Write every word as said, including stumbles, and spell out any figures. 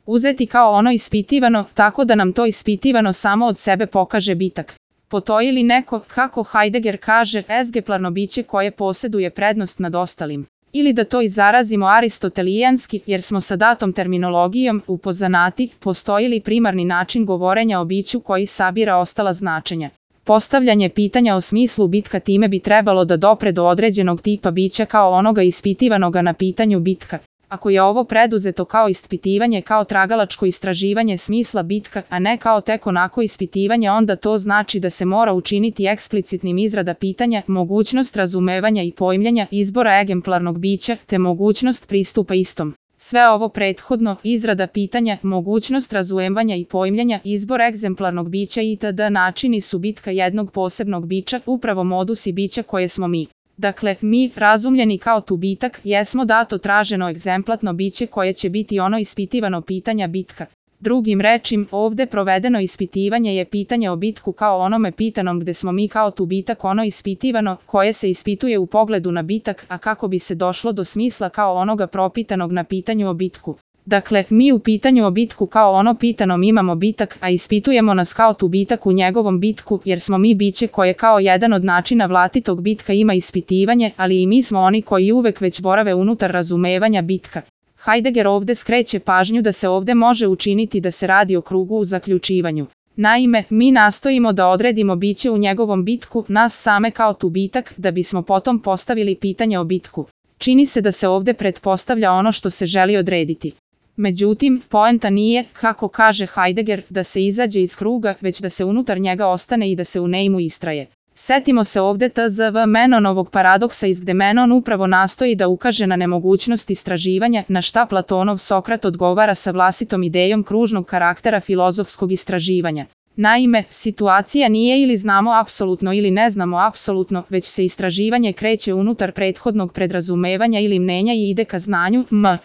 uzeti kao ono ispitivano, tako da nam to ispitivano samo od sebe pokaže bitak. Postoji li neko, kako Heidegger kaže, egzemplarno biće koje posjeduje prednost nad ostalim? Ili da to izrazimo aristotelijanski, jer smo sa datom terminologijom upoznati, postoji li primarni način govorenja o biću koji sabira ostala značenja? Postavljanje pitanja o smislu bitka time bi trebalo da dopre do određenog tipa bića kao onoga ispitivanoga na pitanju bitka. Ako je ovo preduzeto kao ispitivanje, kao tragalačko istraživanje smisla bitka, a ne kao tek onako ispitivanje, onda to znači da se mora učiniti eksplicitnim izrada pitanja, mogućnost razumevanja i pojmljenja izbora egzemplarnog bića, te mogućnost pristupa istom. Sve ovo prethodno, izrada pitanja, mogućnost razumevanja i pojmljenja, izbor egzemplarnog bića itd. Načini su bitka jednog posebnog bića, upravo modusi bića koje smo mi. Dakle, mi, razumljeni kao tu bitak, jesmo dato traženo egzemplatno biće koje će biti ono ispitivano pitanja bitka. Drugim rečim, ovde provedeno ispitivanje je pitanje o bitku kao onome pitanom gde smo mi kao tu bitak ono ispitivano, koje se ispituje u pogledu na bitak, a kako bi se došlo do smisla kao onoga propitanog na pitanju o bitku. Dakle, mi u pitanju o bitku kao ono pitanom imamo bitak, a ispitujemo nas kao tu bitak u njegovom bitku, jer smo mi biće koje kao jedan od načina vlastitog bitka ima ispitivanje, ali i mi smo oni koji uvek već borave unutar razumevanja bitka. Heidegger ovde skreće pažnju da se ovde može učiniti da se radi o krugu u zaključivanju. Naime, mi nastojimo da odredimo biće u njegovom bitku, nas same kao tu bitak, da bismo potom postavili pitanje o bitku. Čini se da se ovde pretpostavlja ono što se želi odrediti. Međutim, poenta nije, kako kaže Heidegger, da se izađe iz kruga, već da se unutar njega ostane i da se u njemu istraje. Setimo se ovde tzv. Menonovog paradoksa iz gde Menon upravo nastoji da ukaže na nemogućnost istraživanja, na šta Platonov Sokrat odgovara sa vlastitom idejom kružnog karaktera filozofskog istraživanja. Naime, situacija nije ili znamo apsolutno ili ne znamo apsolutno, već se istraživanje kreće unutar prethodnog predrazumevanja ili mnenja i ide ka znanju, m.